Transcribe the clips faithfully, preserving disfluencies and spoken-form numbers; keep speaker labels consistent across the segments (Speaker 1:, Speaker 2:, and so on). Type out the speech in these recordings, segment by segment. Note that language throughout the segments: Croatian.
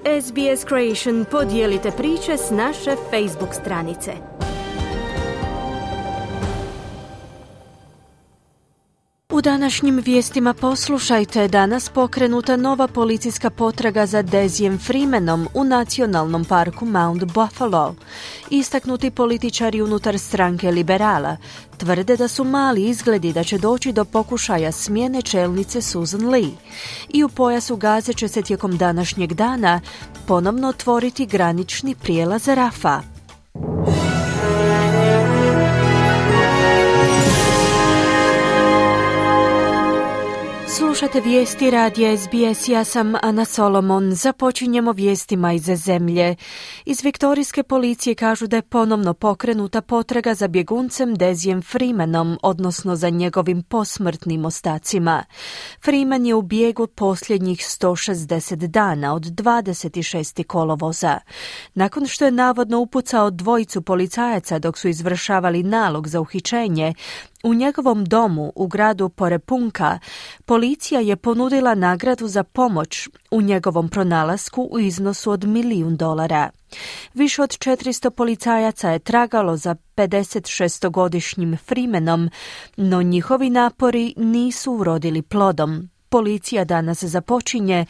Speaker 1: S B S Creation podijelite priče s naše Facebook stranice. U današnjim vijestima poslušajte, danas pokrenuta nova policijska potraga za Dezijem Freemanom u nacionalnom parku Mount Buffalo. Istaknuti političari unutar stranke Liberala tvrde da su mali izgledi da će doći do pokušaja smjene čelnice Susan Lee. I u pojasu Gaze će se tijekom današnjeg dana ponovno otvoriti granični prijelaz Rafa. Slušate vijesti radija S B S, ja sam Ana Solomon. Započinjemo vijestima iz zemlje. Iz viktorijske policije kažu da je ponovno pokrenuta potraga za bjeguncem Dezijem Freemanom, odnosno za njegovim posmrtnim ostacima. Freeman je u bijegu posljednjih sto šezdeset dana od dvadeset šestog kolovoza. Nakon što je navodno upucao dvojicu policajaca dok su izvršavali nalog za uhićenje, u njegovom domu u gradu Porepunka policija je ponudila nagradu za pomoć u njegovom pronalasku u iznosu od milijun dolara. Više od četiristo policajaca je tragalo za pedesetšestogodišnjim Freemanom, no njihovi napori nisu urodili plodom. Policija danas započinje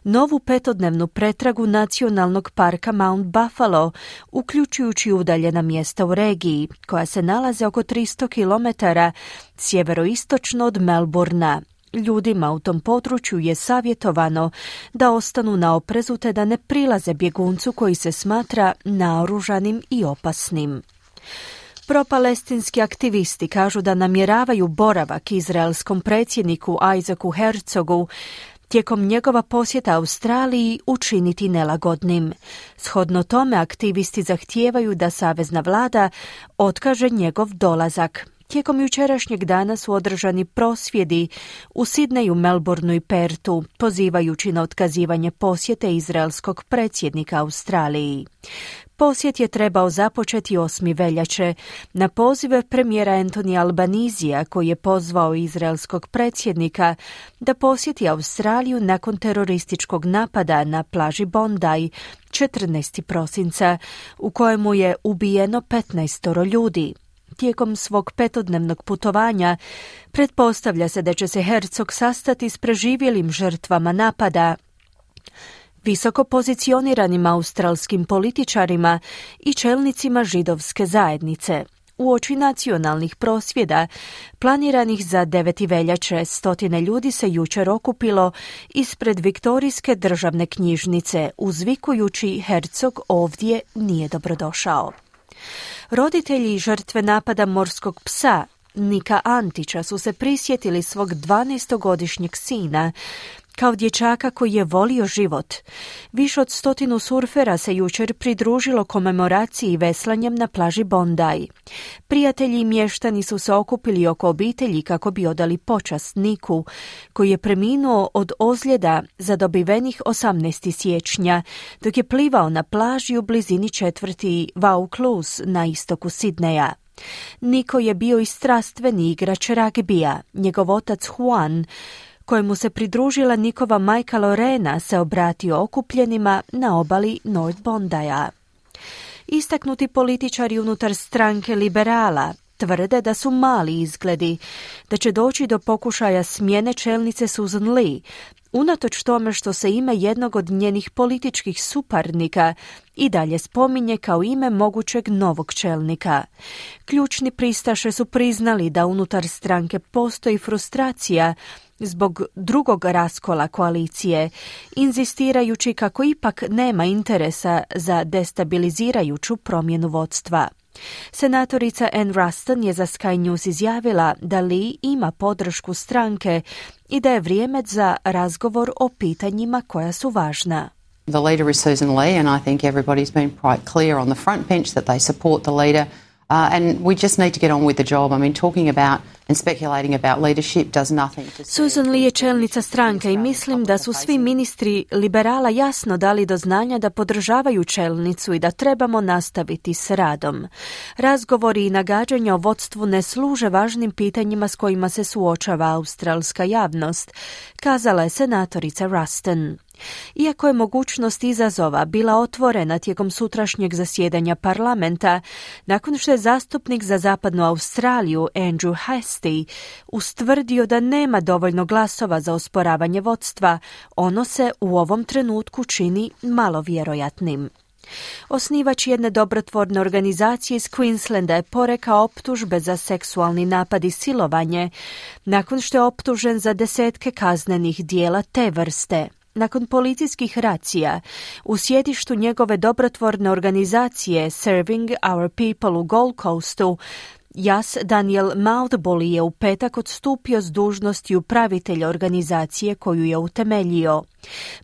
Speaker 1: novu petodnevnu pretragu nacionalnog parka Mount Buffalo, uključujući udaljena mjesta u regiji, koja se nalaze oko tristo kilometara sjeveroistočno od Melbourna. Ljudima u tom području je savjetovano da ostanu na oprezu te da ne prilaze bjeguncu koji se smatra naoružanim i opasnim. Propalestinski aktivisti kažu da namjeravaju boravak izraelskom predsjedniku Isaacu Herzogu tijekom njegova posjeta Australiji učiniti nelagodnim. Shodno tome, aktivisti zahtijevaju da savezna vlada otkaže njegov dolazak. Tijekom jučerašnjeg dana su održani prosvjedi u Sidneju, Melbourneu i Pertu, pozivajući na otkazivanje posjete izraelskog predsjednika Australiji. Posjet je trebao započeti osmog veljače na poziv premijera Anthony Albanizija, koji je pozvao izraelskog predsjednika da posjeti Australiju nakon terorističkog napada na plaži Bondi četrnaestog prosinca, u kojemu je ubijeno petnaest ljudi. Tijekom svog petodnevnog putovanja pretpostavlja se da će se Herzog sastati s preživjelim žrtvama napada, visoko pozicioniranim australskim političarima i čelnicima židovske zajednice. Uoči nacionalnih prosvjeda, planiranih za deveti veljače, stotine ljudi se jučer okupilo ispred Viktorijske državne knjižnice, uzvikujući Herzog ovdje nije dobrodošao. Roditelji žrtve napada morskog psa Nika Antića su se prisjetili svog dvanaestogodišnjeg sina kao dječaka koji je volio život. Više od stotinu surfera se jučer pridružilo komemoraciji veslanjem na plaži Bondi. Prijatelji i mještani su se okupili oko obitelji kako bi odali počast Niku, koji je preminuo od ozljeda zadobivenih osamnaestog siječnja, dok je plivao na plaži u blizini četvrti Vaucluse na istoku Sidneja. Niko je bio i strastveni igrač ragbija. Njegov otac Juan, kojemu se pridružila Nikova majka Lorena, se obratio okupljenima na obali North Bondija. Istaknuti političari unutar stranke Liberala tvrde da su mali izgledi, da će doći do pokušaja smjene čelnice Susan Lee, unatoč tome što se ime jednog od njenih političkih suparnika i dalje spominje kao ime mogućeg novog čelnika. Ključni pristaše su priznali da unutar stranke postoji frustracija zbog drugog raskola koalicije, inzistirajući kako ipak nema interesa za destabilizirajuću promjenu vodstva. Senatorica Ann Ruston je za Sky News izjavila da Lee ima podršku stranke i da je vrijeme za razgovor o pitanjima koja su važna.
Speaker 2: The leader is Susan Lee, and I think everybody's been quite clear on the front bench that they support the leader. Uh, and we just need to get on with the job. I mean, talking about and speculating about leadership does nothing to...
Speaker 1: Susan Lee je čelnica stranke i mislim da su svi ministri liberala jasno dali do znanja da podržavaju čelnicu i da trebamo nastaviti s radom. Razgovori i nagađanja o vodstvu ne služe važnim pitanjima s kojima se suočava australska javnost, kazala je senatorica Ruston. Iako je mogućnost izazova bila otvorena tijekom sutrašnjeg zasjedanja parlamenta, nakon što je zastupnik za zapadnu Australiju Andrew Hastie ustvrdio da nema dovoljno glasova za osporavanje vodstva, ono se u ovom trenutku čini malo vjerojatnim. Osnivač jedne dobrotvorne organizacije iz Queenslanda je porekao optužbe za seksualni napad i silovanje, nakon što je optužen za desetke kaznenih dijela te vrste. Nakon policijskih racija u sjedištu njegove dobrotvorne organizacije Serving Our People u Gold Coastu, Jas Daniel Mountbully je u petak odstupio s dužnosti upravitelja organizacije koju je utemeljio.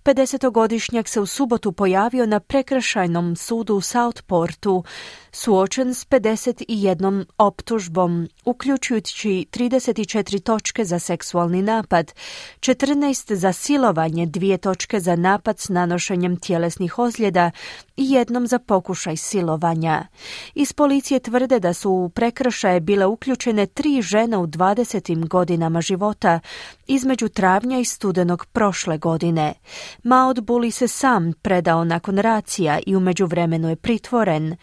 Speaker 1: pedesetogodišnjak se u subotu pojavio na prekršajnom sudu u Southportu, suočen s pedeset jednom optužbom, uključujući trideset četiri točke za seksualni napad, četrnaest za silovanje, dvije točke za napad s nanošenjem tjelesnih ozljeda i jednom za pokušaj silovanja. Iz policije tvrde da su u prekršaje bile uključene tri žene u dvadesetim godinama života između travnja i studenog prošle godine. Mountbully se sam predao nakon racija i u međuvremenu je pritvoren.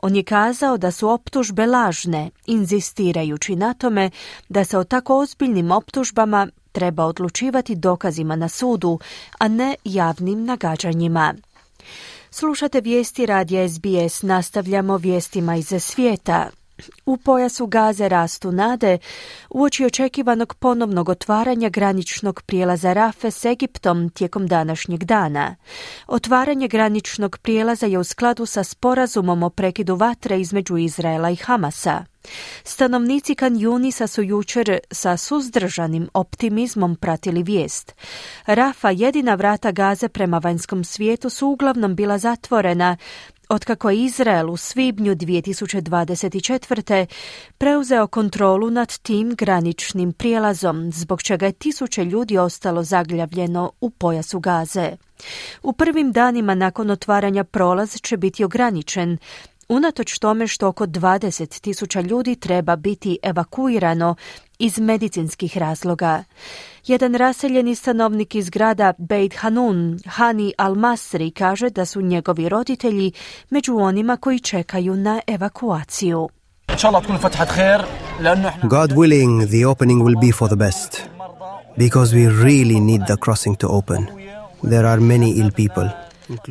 Speaker 1: On je kazao da su optužbe lažne, inzistirajući na tome da se o tako ozbiljnim optužbama treba odlučivati dokazima na sudu, a ne javnim nagađanjima. Slušate vijesti radija S B S, nastavljamo vijestima iz svijeta. U pojasu Gaze rastu nade uoči očekivanog ponovnog otvaranja graničnog prijelaza Rafe s Egiptom tijekom današnjeg dana. Otvaranje graničnog prijelaza je u skladu sa sporazumom o prekidu vatre između Izraela i Hamasa. Stanovnici Kan Junisa su jučer sa suzdržanim optimizmom pratili vijest. Rafa, jedina vrata Gaze prema vanjskom svijetu, su uglavnom bila zatvorena otkako je Izrael u svibnju dvije tisuće dvadeset četvrte. preuzeo kontrolu nad tim graničnim prijelazom, zbog čega je tisuće ljudi ostalo zaglavljeno u pojasu Gaze. U prvim danima nakon otvaranja prolaz će biti ograničen, unatoč tome što oko dvadeset tisuća ljudi treba biti evakuirano iz medicinskih razloga. Jedan raseljeni stanovnik iz grada Beit Hanun, Hani Al-Masri, kaže da su njegovi roditelji među onima koji čekaju na evakuaciju.
Speaker 3: God willing, the opening will be for the best, because we really need the crossing to open. There are many ill people.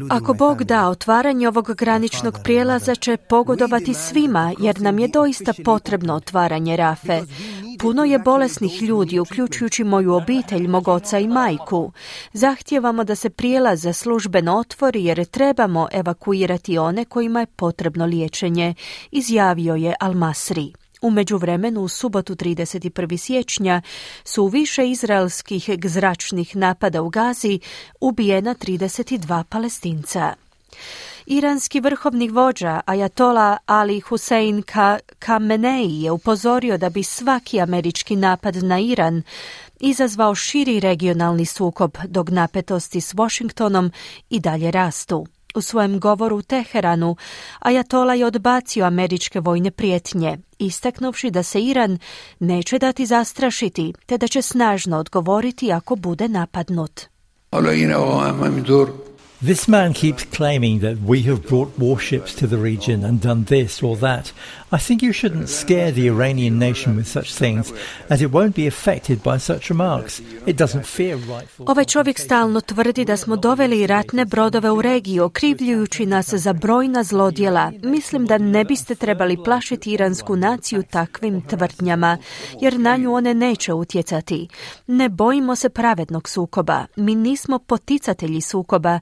Speaker 1: Ako Bog da, otvaranje ovog graničnog prijelaza će pogodovati svima, jer nam je doista potrebno otvaranje Rafe. Puno je bolesnih ljudi, uključujući moju obitelj, mog oca i majku. Zahtijevamo da se prijelaz službeno otvori jer trebamo evakuirati one kojima je potrebno liječenje, izjavio je Al-Masri. U međuvremenu, u subotu trideset prvog siječnja su u više izraelskih zračnih napada u Gazi ubijena trideset dva Palestinca. Iranski vrhovni vođa Ajatola Ali Hussein Khamenei je upozorio da bi svaki američki napad na Iran izazvao širi regionalni sukob, dok napetosti s Washingtonom i dalje rastu. U svojem govoru u Teheranu Ajatola je odbacio američke vojne prijetnje, istaknuvši da se Iran neće dati zastrašiti, te da će snažno odgovoriti ako bude napadnut.
Speaker 4: This man keeps claiming that we have brought warships to the region and done this or that. I think you shouldn't scare the Iranian nation with such things, as it won't be affected by such remarks. It doesn't fear rightful...
Speaker 1: Ovaj čovjek stalno tvrdi da smo doveli ratne brodove u regiju, okrivljujući nas za brojna zlodjela. Mislim da ne biste trebali plašiti iransku naciju takvim tvrdnjama, jer na nju one neće utjecati. Ne bojimo se pravednog sukoba. Mi nismo poticatelji sukoba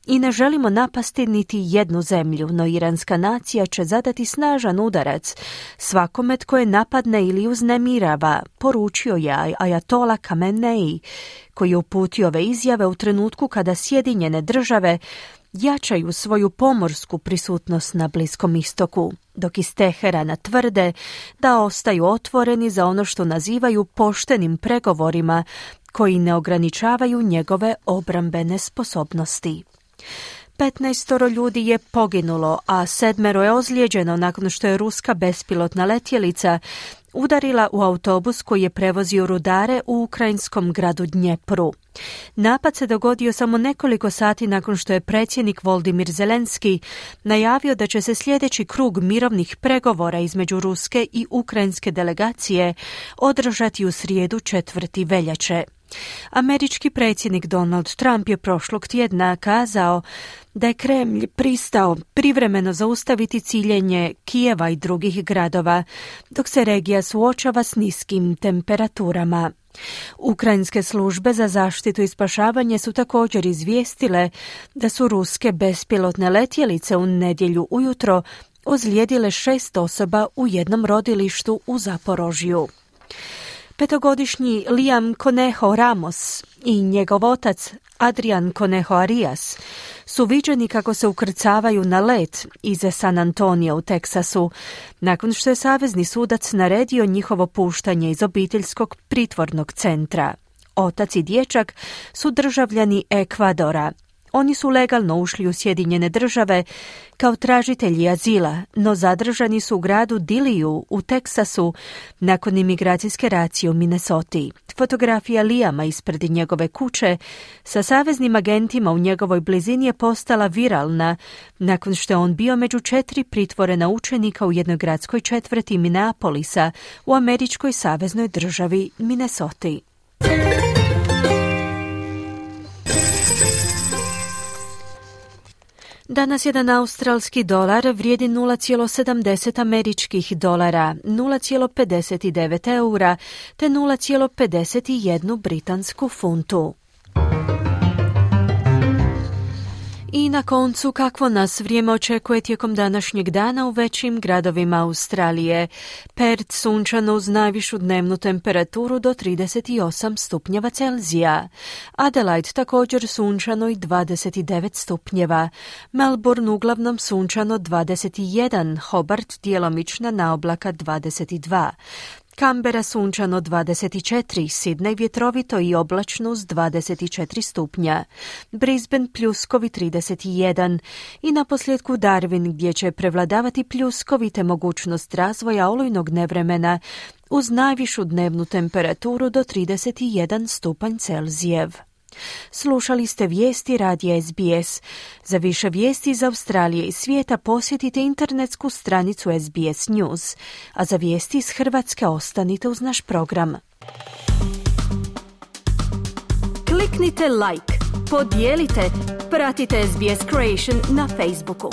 Speaker 1: i ne želimo napasti niti jednu zemlju, no iranska nacija će zadati snažan udarac svakome tko je napadne ili uznemirava, poručio je Ajatola Khamenei, koji je uputio ove izjave u trenutku kada Sjedinjene države jačaju svoju pomorsku prisutnost na Bliskom istoku, dok iz Teherana tvrde da ostaju otvoreni za ono što nazivaju poštenim pregovorima koji ne ograničavaju njegove obrambene sposobnosti. petnaestoro ljudi je poginulo, a sedmero je ozlijeđeno nakon što je ruska bespilotna letjelica udarila u autobus koji je prevozio rudare u ukrajinskom gradu Dnjepru. Napad se dogodio samo nekoliko sati nakon što je predsjednik Volodymyr Zelenski najavio da će se sljedeći krug mirovnih pregovora između ruske i ukrajinske delegacije održati u srijedu četvrtog veljače. Američki predsjednik Donald Trump je prošlog tjedna kazao da je Kremlj pristao privremeno zaustaviti ciljenje Kijeva i drugih gradova, dok se regija suočava s niskim temperaturama. Ukrajinske službe za zaštitu i spašavanje su također izvijestile da su ruske bespilotne letjelice u nedjelju ujutro ozlijedile šest osoba u jednom rodilištu u Zaporožju. Petogodišnji Liam Conejo Ramos i njegov otac Adrian Conejo Arias su viđeni kako se ukrcavaju na let iz San Antonija u Teksasu, nakon što je savezni sudac naredio njihovo puštanje iz obiteljskog pritvornog centra. Otac i dječak su državljani Ekvadora. Oni su legalno ušli u Sjedinjene države kao tražitelji azila, no zadržani su u gradu Dilliju u Teksasu nakon imigracijske racije u Minnesoti. Fotografija Liama ispred njegove kuće sa saveznim agentima u njegovoj blizini je postala viralna nakon što je on bio među četiri pritvorena učenika u jednoj gradskoj četvrti Minneapolisa u američkoj saveznoj državi Minnesoti. Danas jedan australski dolar vrijedi nula zarez sedamdeset američkih dolara, nula zarez pedeset devet eura te nula zarez pedeset jedan britansku funtu. I na koncu, kakvo nas vrijeme očekuje tijekom današnjeg dana u većim gradovima Australije. Perth sunčano uz najvišu dnevnu temperaturu do trideset osam stupnjeva Celzija. Adelaide također sunčano i dvadeset devet stupnjeva. Melbourne uglavnom sunčano dvadeset jedan, Hobart djelomična naoblaka dvadeset dva. Canberra sunčano dvadeset četiri, Sydney vjetrovito i oblačno uz dvadeset četiri stupnja, Brisbane pljuskovi trideset jedan i naposljetku Darwin gdje će prevladavati pljuskovi te mogućnost razvoja olujnog nevremena uz najvišu dnevnu temperaturu do trideset jedan stupanj Celzijev. Slušali ste vijesti radija S B S. Za više vijesti iz Australije i svijeta posjetite internetsku stranicu S B S News, a za vijesti iz Hrvatske ostanite uz naš program. Kliknite like, podijelite, pratite S B S Creation na Facebooku.